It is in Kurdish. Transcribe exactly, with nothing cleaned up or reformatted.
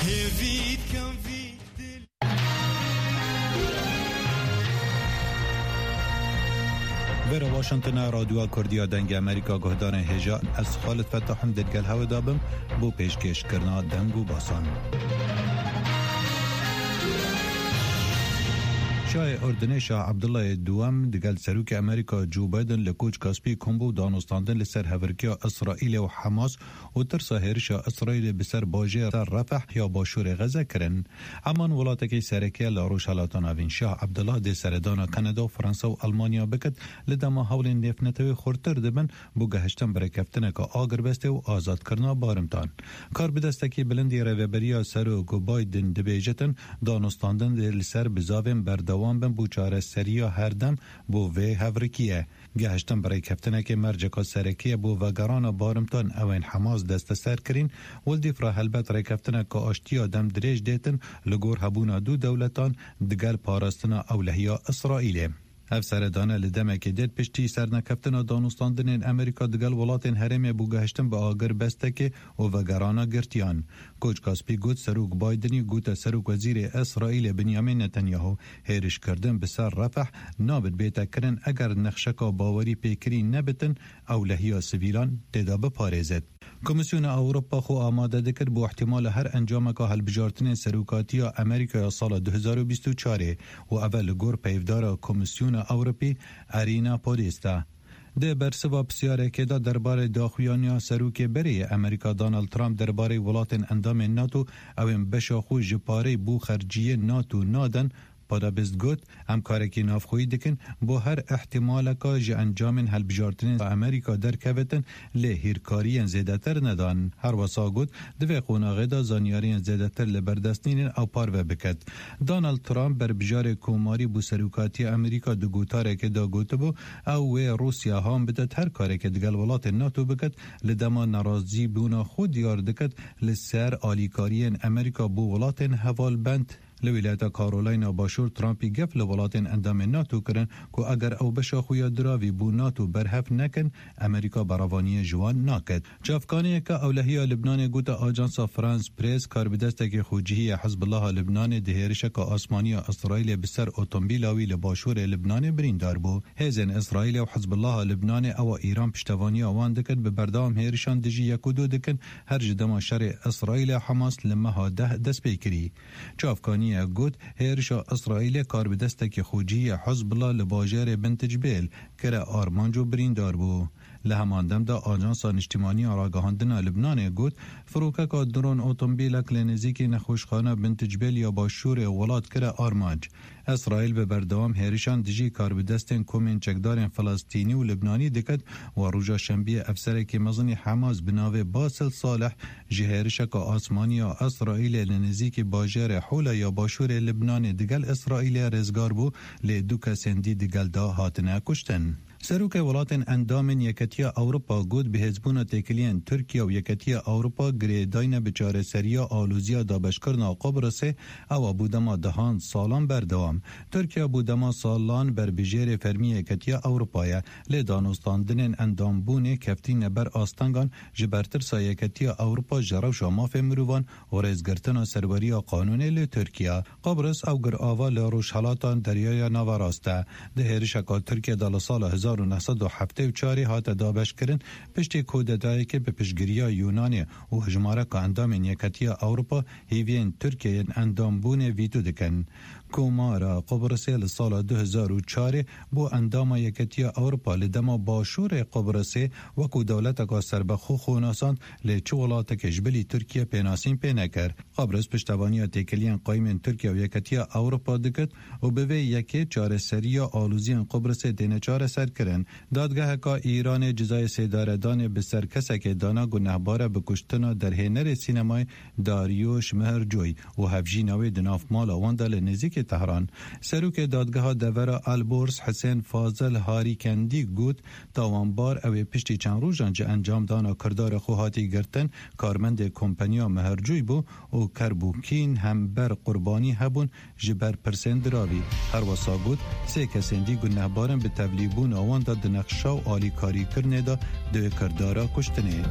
Vera Washington, Radyoya Kurdiya Dengê Amerîka, guhdarên hêja, ez Xalid Fetah im, digel hewe de bim bo pêşkêşkirina deng û basan. Şahê Urdunê Şah Abdullahê Duwem digel Serokê Amerîka Joe Biden li Koçka Spî kom bû danûstandin li ser hevirkiya Îsraîlê û Hamas û tirsa hêrişa Îsraîlê bi ser bajêra Refah ya başûrê Xeze kirin. Eman welatekî sereke ye li Rojhelata Navîn. Şah Abdullah dê seredana Kanada û Fransa û Almanya bikit, li dema hewlên nêvnetewê xurtir dibin bo gehiştin bi rêkeftineke agirbestê û azadkirina barimtan. Karbidestekî bilindî rêveberiya Serok Biden dibêjitin, danûstandin dê li ser bizavên berdewam bin bo çareseriya herdem bo vê hevrikiyê. Gehiştin bi rêkeftinekê merceka serekî ye bo vegerana barimtan ewên Hamas desteser kirîn, û li dîf re helbet rêkeftineke aştiya dem dirêj dêtin li gor hebûna du dewletan digel parastina ewlehiya Îsraîlê. Ev seredane li demekê dêt piştî sernekeftina danûstandinên Amerîka digel welatên herêmê bo gehiştin bi agirbestekê û vegerana girtiyan. Koçka Spî got, Serok Bidenî gote Serok Wezîrê Îsraîlê Benyamin Netanyahu, hêrişkirdin bi ser Refah nabit bête kirin eger nexşeka bawerî pêkirî nebitin, ewlehiya sivîlan tê de biparêzit. Komîsyona Ewropa xwe amade dikir bo ihtimala her encameka hilbijartinên serokatiya Amerîka ya sala du hezar û bîst û çarê û ev e li gor peyvdara Komîsyona Ewropî Arina Podesta. Di bersiva pisyarekê de derbarê daxuyaniya serokê berê yê Amerîka Donald Trump derbarê welatên endamên NATO ew ên beşa xwe ji pareyê bo xerciyên NATO nadin, Podesta got, Em karekî navxweyî dikin bo her ihtimaleka ji encamên hilbijartinên Amerîka derkevitin, lê hîrkariyên zêdetir nedan. Her wesa got, di vê qonaxê de zanyariyên zêdetir li ber dest nînin ew parve biket. Donald Trump, berbijarê Komarî bo serokatiya Amerîka, di gotarekê de gotibû, ew wê Rûsya han bidet her karekê digel welatên NATO biket, li dema nerazîbûna xwe diyar diket li ser alîkariyên Amerîka bo welatên hevalbend. Li wîlayeta Karolayna Başûr, Trumpî gef li welatên endamên NATO kirin ku eger ew beşa xwe ya diravî bo NATO berhev nekin, Amerîka berevaniyê ji wan naket. Çavkaniyeke ewlehiya Libnanê gote Ajansa France Press, karbidestekî xwecihî yê Hizbullaha Libnanê di hêrişeke asmanî ya Îsraîlê bi ser otomobîla wî li başûrê Libnanê birîndar bû. Hêzên Îsraîlê û Hizbullaha Libnanê, ewa Îran piştevaniya wan dikir, bi berdewam hêrişan dijî yek û du dikin, her ji dema şerê Îsraîlê Hamas li meha deh dest pê kirî. Çavkaniye got, hêrişa Îsraîlê karbidestekî xwecihî yê Hizbullah li bajêrê Bint Cibêl kire armanc û birîndar bû. Li heman dem de Ajansa Niştimanî ya Ragihandina Libnanê got, firokeka dron otomobîlek li nêzîkî nexweşxana Bint Cibêl ya başûrê welat kire armanc. Îsraîl bi berdewam hêrişan dijî karbidestên komên çekdarên Filistînî û Libnanî diket û roja Şembiyê efserekî mezinî Hamas bi navê Basil Salih ji hêrişeka asmanî ya Îsraîlê li nêzîkî bajarê Hûla ya başûrê Libnanê digel Îsraîlê rêzgar bû, lê du kesên dî digel de hatine kuştin. Serokê welatên endamên Yeketiya Ewropa got, bihêzbûna têkiliyên Tirkiye û Yeketiya Ewropa girêdayî ne bi çareseriya aloziya dabeşkirina Qubrisê, ew a bû dema dehan salan berdewam. Tirkiye bû dema salan berbijêrê fermî Yeketiya Ewropa ye, lê danûstandinên endambûnê keftîne ber astengan ji ber tirsa Yeketiya Ewropa ji rewşa mafê mirovan û rêzgirtina serweriya qanûnê li Tirkiye. Qibris ew girava li rojhelata Deryaya Naverast e. Di hêrişeka Tirkiye de li sala hezar û neh sed û heftê û çarê hate dabeşkirin, piştî kudetayekê bi piştgiriya Yûnanê û hejmareka endamên Yeketiya Ewropa hîviyên Tirkiye yên endambûnê vîto dikin. Komara Qibrisê li sala du hezar û çarê bû endama Yeketiya Ewropa, li dema başûrê Qibrisê wekû dewleteka serbexwe xwe nasand, lê çi welatekê ji bilî Tirkiye pênasîn pê nekir. Qibris piştevaniya têkiliyên qayîmên Tirkiye û Yeketiya Ewropa dikit û bi vê yekê çareseriya aloziyên Qibrisê têne çareserkirin. Dadgeheka Îranê cezayê sêdaredanê bi ser kesekê dana gunehbare bi kuştina derhênerê sînemayê Dariuş Mehercoy û hevjîna wê di nav mala wan de li nêzîkî Tehran. Serokê Dadgeha Devera Elborz Hisên Fazil Harîkendî got, tawanbar ew ê piştî çend rojan ji encamdana kirdara xwe hatî girtin, karmendê kompaniya Mehercoy bû û kerb û kîn hember qurbanî hebûn ji ber pirsên diravî. Her wesa got, sê kesên dî gunehbar in bi tevlîbûna wan de di nexşa û alîkarîkirinê de di kirdara kuştinê.